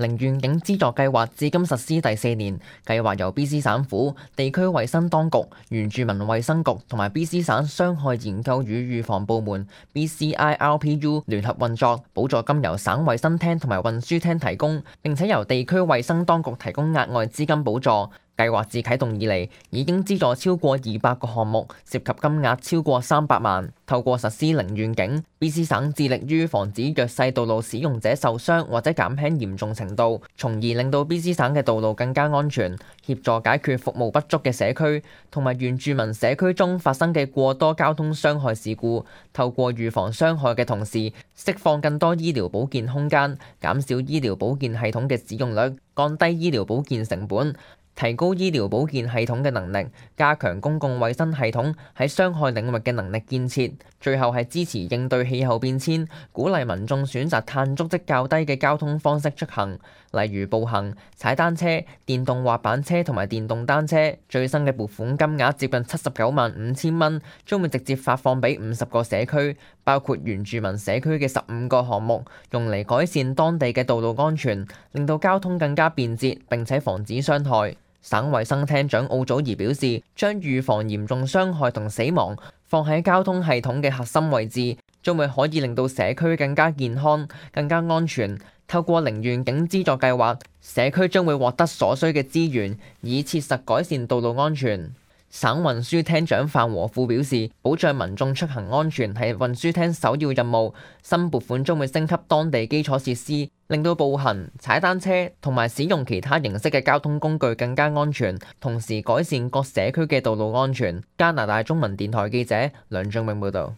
零願景資助計劃至今實施第4年，計劃由 BC 省府、地區衛生當局、原住民衛生局同埋 BC 省傷害研究與預防部門 BCIRPU 聯合運作，補助金由省衛生廳同埋運輸廳提供，並且由地區衛生當局提供額外資金補助。計劃自啟動以嚟，已經資助超過200個項目，涉及金額超過300萬。透過實施零願景，BC 省致力於防止弱勢道路使用者受傷或者減輕嚴重程度，從而令到 BC 省嘅道路更加安全，協助解決服務不足嘅社區同埋原住民社區中發生嘅過多交通傷害事故。透過預防傷害嘅同時，釋放更多醫療保健空間，減少醫療保健系統嘅使用率，降低醫療保健成本，提高醫療保健系統嘅能力，加強公共衛生系統喺傷害領域嘅能力建設。最後係支持應對氣候變遷，鼓勵民眾選擇碳足跡較低嘅交通方式出行，例如步行、踩單車、電動滑板車同埋電動單車。最新嘅撥款金額接近795000蚊，將會直接發放俾50個社區，包括原住民社區嘅15個項目，用嚟改善當地嘅道路安全，令到交通更加便捷，並且防止傷害。省衛生廳長奧祖兒表示，將預防嚴重傷害同死亡放喺交通系統嘅核心位置，將會可以令到社區更加健康、更加安全。透過零願景資助計劃，社區將會獲得所需嘅資源，以切實改善道路安全。省運輸廳長范和富表示，保障民眾出行安全係運輸廳首要任務。新撥款將會升級當地基礎設施，令到步行、踩單車同埋使用其他形式嘅交通工具更加安全，同時改善各社區嘅道路安全。加拿大中文電台記者梁俊永報導。